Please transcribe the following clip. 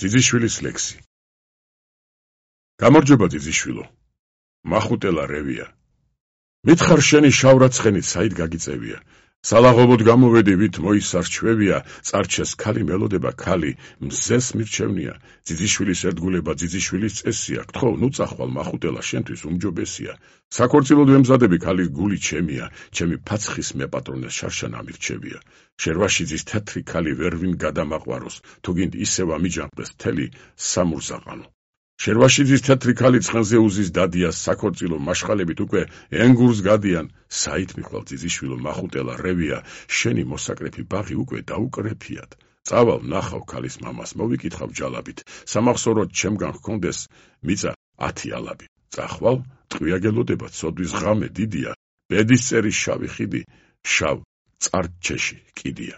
ძიძიშვილის ლექსი. გამარჯობა ძიძიშვილო. მახუტელა რევია. მითხარ შენი შავრაცხენით საით გაგიწევია. სალაღობოდ გამოვედი ვით მოისარჩვევია, წარჩეს ქალი მელოდება ქალი, მზეს მირჩევნია, ძიძიშვილის ერთგულება ძიძიშვილის წესია, გთხოვ ნუ წახვალ მახუტელა შენთვის უმჯობესია. საქორწილოდ ვემზადები ქალის გული ჩემია, ჩემი ფაცხის მეპატრონეს შარშან ამირჩევია. შერვაშიძის თეთრი ქალი ვერ ვინ გადამაყვაროს, თუ გინდ ისევ ამიჯანყდეს მთელი სამურზაყანო. შერვაშიძის თეთრი ქალი ცხენზე უზის დადია, საქორწილო მაშხალებით უკვე ენგურს გადიან, საით მიხვალ ძიძიშვილო მახუტელა რევია, შენი მოსაკრეფი ბაღი უკვე დაუკრეფიათ. წავალ ნახავ ქალის მამას, მოვიკითხავ ჯალაბით, სამახსოვროდ ჩემგან ჰქონდეს მიწა 10 ალაბი. წახვალ, ტყვიაგელოდება ცოდვის ღამე დიდია, ბედის წერის შავი ხიდი, შავ წარჩეში კიდია.